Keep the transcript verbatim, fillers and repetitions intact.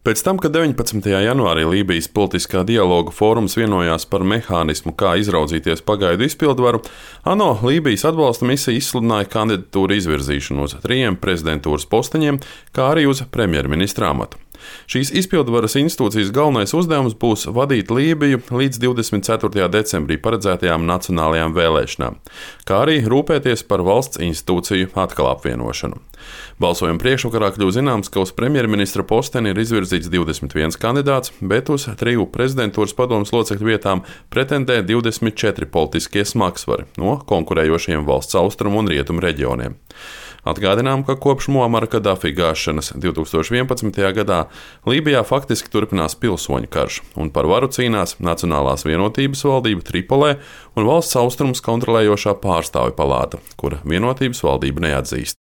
Pēc tam, kad deviņpadsmitajā janvārī Lībijas politiskā dialoga fórums vienojās par mehānismu, kā izraudzīties pagaidu izpildvaru, ANO Lībijas atbalsta misija izsludināja kandidatūru izvirzīšanu uz trījiem prezidentūras posteņiem, kā arī uz premjerministra amatu. Šīs izpildvaras institūcijas galvenais uzdevums būs vadīt Lībiju līdz divdesmit ceturtajā decembrī paredzētajām nacionālajām vēlēšanām, kā arī rūpēties par valsts institūciju atkal apvienošanu. Balsojuma priekšvakarā kļuva zināms, ka uz premjerministra posteni ir izvirzīts divdesmit viens kandidāts, bet uz triju prezidentūras padomes locekļu vietām pretendē divdesmit četri politiskie smagsvari no konkurējošiem valsts austrumu un rietumu reģioniem. Atgādinām, ka kopš Muamara Kadafi gāšanas divtūkstoš vienpadsmitajā gadā Lībijā faktiski turpinās pilsoņu karš, un par varu cīnās Nacionālās vienotības valdība Tripolē un valsts austrumus kontrolējošā pārstāvju palāta, kura vienotības valdību neatzīst.